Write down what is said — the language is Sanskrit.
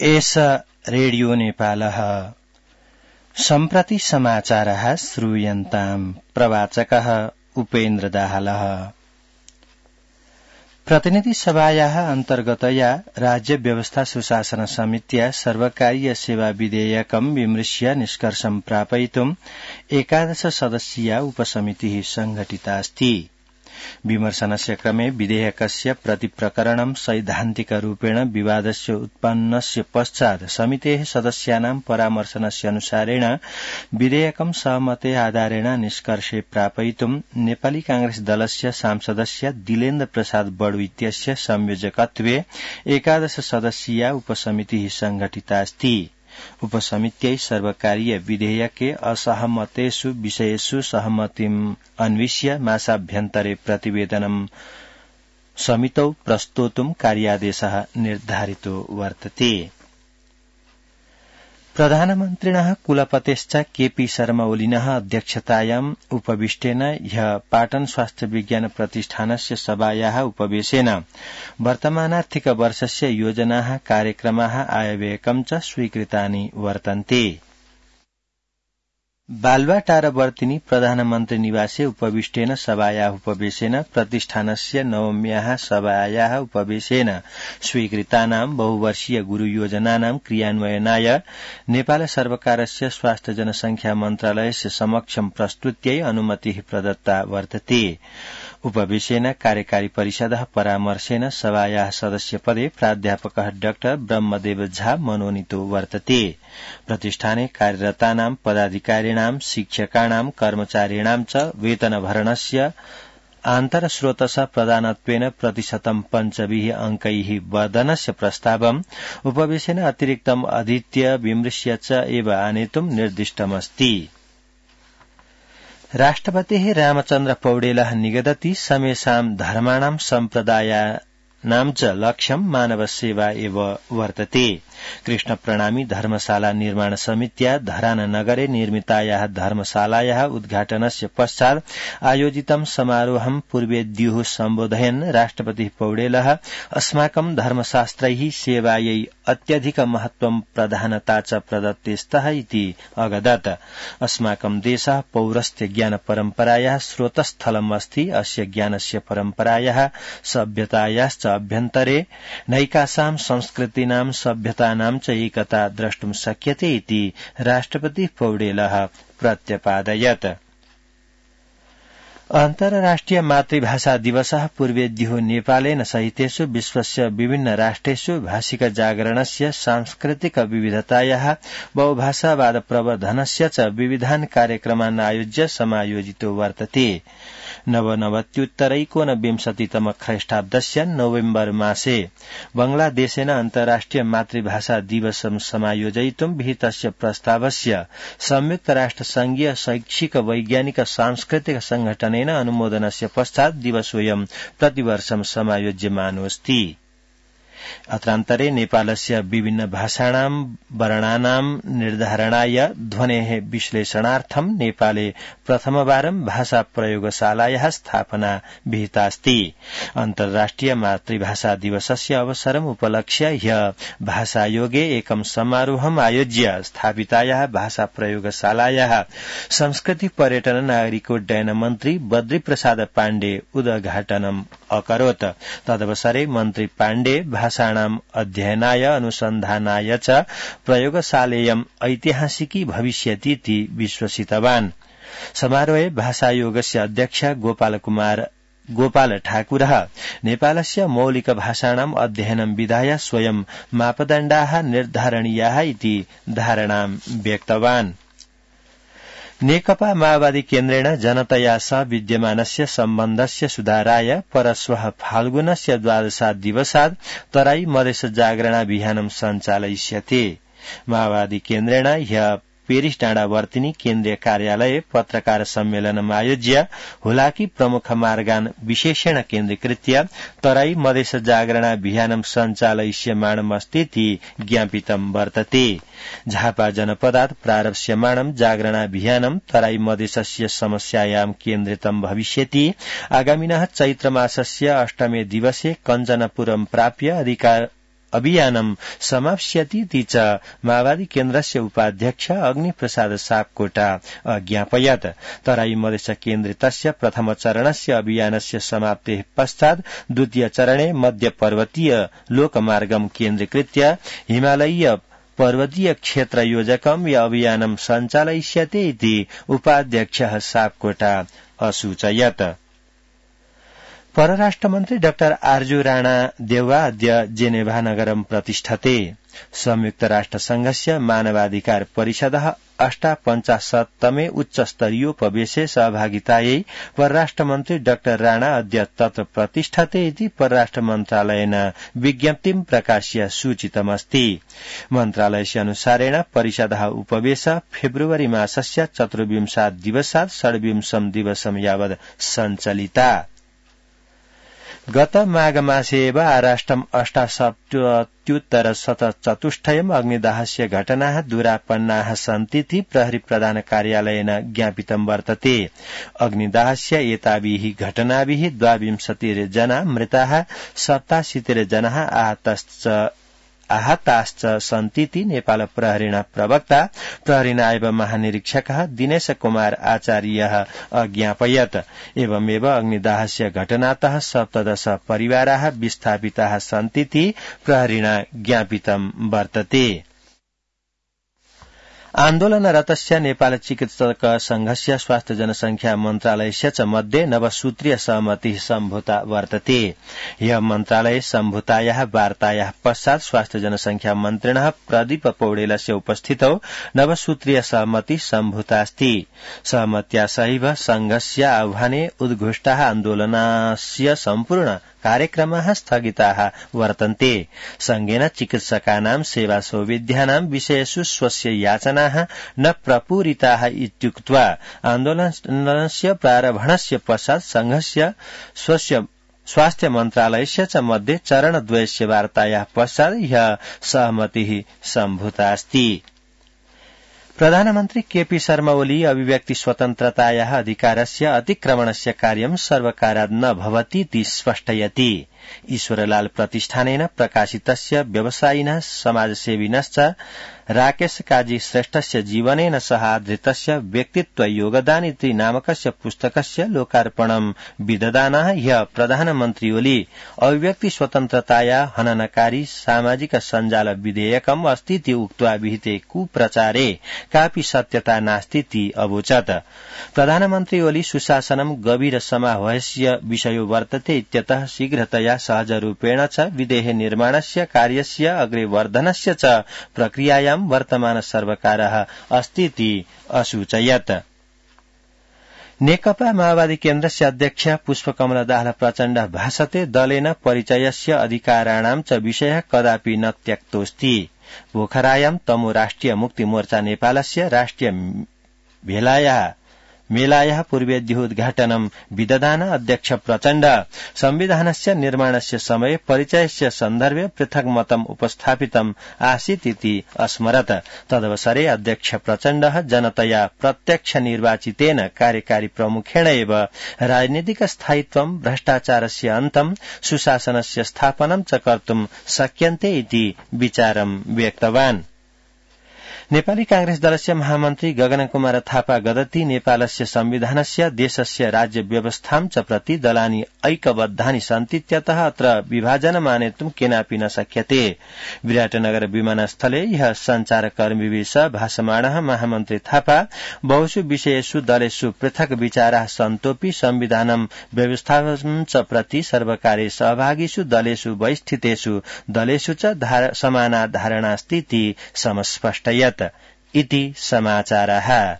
एष रेडियो नेपालः सम्प्रति समाचारः श्रूयन्ताम् प्रवाचकः उपेन्द्र दाहालः। प्रतिनिधि सभायाः अन्तर्गतया राज्य व्यवस्था सुशासन समित्या सर्वकारीय सेवा विधेयकं विमृश्य निष्कर्षं प्रापयितुम् 11 सदस्यीया उपसमितिः संघटिता अस्ति। विमर्शनस्य क्रमे विधेयकस्य प्रतिप्रकरणं सैद्धान्तिकरूपेण विवादस्य उत्पन्नस्य पश्चात् समितेः सदस्यानां परामर्शनस्य अनुसारेण विधेयकं सहमते आधारेण निष्कर्षे प्रापयितुं नेपाली कांग्रेस दलस्य सांसदस्य दिलेन्द्र प्रसाद बडु इत्यस्य संयोजकत्वे 11 सदस्यीया उपसमितिः संघटिता अस्ति। उपसमित्यै सर्वकारीय विधेयके असहमतेषु विषयेषु सहमतिम् अन्विष्य मासाभ्यन्तरे प्रतिवेदनं समितौ प्रस्तोतुं कार्यादेशः निर्धारितो वर्तते। प्रधानमन्त्रिणः कुलपतेश्च केपी शर्मा ओलिनः अध्यक्षतायाम् उपविष्टेन ह्यः पाटन स्वास्थ्य विज्ञान प्रतिष्ठानस्य सभायाः उपवेशेन वर्तमानार्थिक वर्षस्य योजनाः कार्यक्रमाः आयव्ययकं च स्वीकृतानि वर्तन्ते। बालुवाटारवर्तिनि प्रधानमन्त्री निवासे उपविष्टेन सभायाः उपवेशेन प्रतिष्ठानस्य नवम्याः सभायाः उपवेशेन स्वीकृतानां बहुवर्षीय गुरुयोजनानां क्रियान्वयनाय नेपाल सर्वकारस्य स्वास्थ्य जनसंख्या मन्त्रालयस्य समक्षं प्रस्तुत्यै अनुमतिः प्रदत्ता वर्तते। उपवेशेन कार्यकारी परिषदः परामर्शेन सभायाः सदस्यपदे प्राध्यापकः डाक्टर ब्रह्मदेव झा मनोनीतो वर्तते। प्रतिष्ठाने कार्यरतानां पदाधिकारिणां शिक्षकाणां कर्मचारिणां च वेतनभरणस्य आन्तरस्रोतस प्रदानत्वेन प्रतिशतं 5 अङ्कैः वर्धनस्य प्रस्तावम् उपवेशेन अतिरिक्तम् अधीत्य विमृश्य च एव आनेतुं निर्दिष्टमस्ति। राष्ट्रपतिः रामचन्द्र पौडेलः निगदति समेषां धर्माणां सम्प्रदायानां च लक्ष्यं मानव सेवा एव वर्तते। कृष्ण प्रणामी धर्मशाला निर्माण समित्या धराननगरे निर्मितायाः धर्मशालायाः उद्घाटनस्य पश्चात् आयोजितं समारोहं पूर्वेद्युः सम्बोधयन् राष्ट्रपतिः पौडेलः अस्माकं धर्मशास्त्रैः सेवायै अत्यधिक महत्वं प्रधानता च प्रदत्ते स्तः इति अगदत्। अस्माकं देशः पौरस्त्य ज्ञान परम्परायाः स्रोतस्थलम् अस्ति। अस्य ज्ञानस्य परम्परायाः सभ्यतायाश्च अभ्यन्तरे नैकासां संस्कृतीनां सभ्यतानां च एकता द्रष्टुं शक्यते इति राष्ट्रपतिः पौडेलः प्रत्यपादयत्। अन्तर्राष्ट्रिय मातृभाषा दिवसः पूर्वेद्युः नेपालेन सहितेषु विश्वस्य विभिन्न राष्ट्रेषु भाषिक जागरणस्य सांस्कृतिक विविधतायाः बहुभाषावाद प्रवर्धनस्य च विविधान् कार्यक्रमान् आयोज्य समायोजितो वर्तते। नवनवत्युत्तरैकोनविंशतितम ख्रीष्टाब्दस्य नवेम्बर मासे बांग्लादेशेन अन्तर्राष्ट्रिय मातृभाषा दिवसं समायोजयितुं विहितस्य प्रस्तावस्य संयुक्त राष्ट्र संघीय शैक्षिक वैज्ञानिक सांस्कृतिक संघटनेन अनुमोदनस्य पश्चात् दिवसोऽयं प्रतिवर्षं समायोज्यमानोऽस्ति। अत्रान्तरे नेपालस्य विभिन्न भाषाणां वर्णानां निर्धारणाय ध्वनेः विश्लेषणार्थं नेपाले प्रथमवारं भाषा प्रयोगशालायाः स्थापना विहितास्ति। अन्तर्राष्ट्रिय मातृभाषा दिवसस्य अवसरम् उपलक्ष्य ह्यः भाषायोगे एकं समारोहम् आयोज्य स्थापितायाः भाषा प्रयोगशालायाः संस्कृति पर्यटन नागरिकोड्डयन मन्त्री बद्री प्रसाद पाण्डे उद्घाटनम् अकरोत्। तदवसरे मन्त्री पाण्डे भाषाणाम् अध्ययनाय अनुसन्धानाय च प्रयोगशालेयम् ऐतिहासिकी भविष्यतीति विश्वसितवान्। समारोहे भाषायोगस्य अध्यक्ष गोपाल ठाकुरः नेपालस्य मौलिक भाषाणाम् अध्ययनं विधाय स्वयं मापदण्डाः निर्धारणीयाः इति धारणां व्यक्तवान्। नेकपा माओवादी केन्द्रेण जनतया सह विद्यमानस्य सम्बन्धस्य सुधाराय परश्वः फाल्गुनस्य 12 दिवसात् तराई मधेस जागरण अभियानं सञ्चालयिष्यते। माओवादी केन्द्रेण ह्यः पेरिस डाँडावर्तिनी केन्द्रीय कार्यालये पत्रकार सम्मेलनम् आयोज्य हुलाकी प्रमुख मार्गान् विशेषेण केन्द्रीकृत्य तराई मधेस जागरण अभियानं सञ्चालयिष्यमाणमस्तीति ज्ञापितं वर्तते। झापा जनपदात् प्रारप्स्यमाणं जागरणाभियानं तराई मधेसस्य समस्यायां केन्द्रितं भविष्यति। आगामिनः चैत्रमासस्य 8मे दिवसे कञ्चनपुरं प्राप्य अभियानं समाप्स्यतीति च माओवादी केन्द्रस्य उपाध्यक्ष अग्निप्रसाद सापकोटा अज्ञापयत्। तराई मधेश केन्द्रितस्य प्रथम चरणस्य अभियानस्य समाप्तेः पश्चात् द्वितीय चरणे मध्य पर्वतीय लोकमार्गं केन्द्रीकृत्य हिमालयीय पर्वतीय क्षेत्र योजकं अभियानं सञ्चालयिष्यते इति उपाध्यक्षः सापकोटा असूचयत्। परराष्ट्रमन्त्री डाक्टर आर्जु राणा देउवा अद्य जेनेभा नगरं प्रतिष्ठते। संयुक्त राष्ट्रसंघस्य मानवाधिकार परिषदः 58तमे उच्चस्तरीयोपवेशे सहभागितायै परराष्ट्रमन्त्री डाक्टर राणा अद्य तत्र प्रतिष्ठते इति परराष्ट्र मन्त्रालयेन विज्ञप्तिं प्रकाश्य सूचितमस्ति। मन्त्रालयस्य अनुसारेण परिषदः उपवेश फेब्रुवरी मासस्य 24 दिवसात् 26 दिवसं यावत् सञ्चलिता। गत माघ मासे एव आराष्ट्रम् 87,174 अग्निदाहस्य घटनाः दूरापन्नाः सन्तीति प्रहरी प्रधान कार्यालयेन ज्ञापितं वर्तते। अग्निदाहस्य एताभिः घटनाभिः 22 जना मृताः 87 जनाः आहताश्च सन्तीति नेपाल प्रहरीण प्रवक्ता प्रहरी नायब महानिरीक्षकः दिनेश कुमार आचार्यः अज्ञापयत्। एवमेव अग्निदाहस्य घटनातः 17 परिवाराः विस्थापिताः सन्तीति प्रहरीण ज्ञापितं वर्तते। आन्दोलनरतस्य नेपाल चिकित्सक संघस्य स्वास्थ्य जनसंख्या मन्त्रालयस्य च मध्ये नवसूत्रीय सहमतिः सम्भूता वर्तते। ह्यः मन्त्रालये सम्भूतायाः वार्तायाः पश्चात् स्वास्थ्य जनसंख्या मन्त्रिणः प्रदीप पौडेलस्य उपस्थितौ नवसूत्रीय सहमतिः सम्भूतास्ति। सहमत्या सहैव संघस्य आह्वाने उद्घोष्टाः आन्दोलनस्य सम्पूर्ण कार्यक्रमाः स्थगिताः वर्तन्ते। संघेन चिकित्सकानां सेवा सौविध्यानां विषयेषु स्वस्य याचनाः न प्रपूरिताः इत्युक्त्वा आन्दोलनस्य प्रारम्भणस्य पश्चात् संघस्य स्वस्य स्वास्थ्य मन्त्रालयस्य च मध्ये चरणद्वयस्य वार्तायाः पश्चात् ह्यः सहमतिः सम्भूतास्ति। प्रधानमन्त्री केपी शर्मा ओली अभिव्यक्ति स्वतन्त्रतायाः अधिकारस्य अतिक्रमणस्य कार्यं सर्वकारात् न भवतीति स्पष्टयति। ईश्वरलाल प्रतिष्ठानेन प्रकाशितस्य व्यवसायिनः समाजसेविनश्च राकेश काजी श्रेष्ठस्य जीवनेन सह आधृतस्य व्यक्तित्व योगदान इति नामकस्य पुस्तकस्य लोकार्पणं विदधानः ह्यः प्रधानमन्त्री ओली अभिव्यक्ति स्वतन्त्रताया हननकारी सामाजिक सञ्जाल विधेयकम् अस्तीति उक्त्वा विहिते कुप्रचारे कापि सत्यता नास्तीति अवोचत्। प्रधानमन्त्री ओली सुशासनं गभीर समाह्वस्य विषयो वर्तते इत्यतः शीघ्रतया सहजरूपेण च विधेः निर्माणस्य कार्यस्य अग्रे वर्धनस्य च प्रक्रियायां वर्तमान सर्वकारः अस्तीति असूचयत्। नेकपा माओवादी केन्द्रस्य अध्यक्ष पुष्पकमल दाहाल प्रचण्ड भाषते दलेन परिचयस्य अधिकाराणां च विषयः कदापि न त्यक्तोऽस्ति। पोखरायां तमु राष्ट्रिय मुक्ति मोर्चा नेपालस्य राष्ट्रिय मेलायाः पूर्वेद्योद्घाटनं विदधान अध्यक्ष प्रचण्ड संविधानस्य निर्माणस्य समये परिचयस्य सन्दर्भे पृथक् मतम् उपस्थापितम् आसीत् इति अस्मरत्। तदवसरे अध्यक्ष प्रचण्डः जनतया प्रत्यक्ष निर्वाचितेन कार्यकारी प्रमुखेण एव राजनीतिक स्थायित्वं भ्रष्टाचारस्य अन्तं सुशासनस्य स्थापनं च कर्तुं शक्यन्ते इति विचारं व्यक्तवान्। नेपाली कांग्रेस दलस्य महामन्त्री गगन कुमार थापा गदति नेपालस्य संविधानस्य देशस्य राज्य व्यवस्थां च प्रति दलानि ऐक्यबद्धानि सन्तीत्यतः अत्र विभाजनमानेतुं केनापि न शक्यते। विराटनगर विमानस्थले ह्यः सञ्चारकर्मिभिः सह भाषमाणः महामन्त्री थापा बहुषु विषयेषु दलेषु पृथक् विचाराः सन्तोऽपि संविधानं व्यवस्थां च प्रति सर्वकारे सहभागिषु दलेषु बहिस्थितेषु दलेषु च समाना धारणास्तीति समस्पष्टयत् इति समाचारः।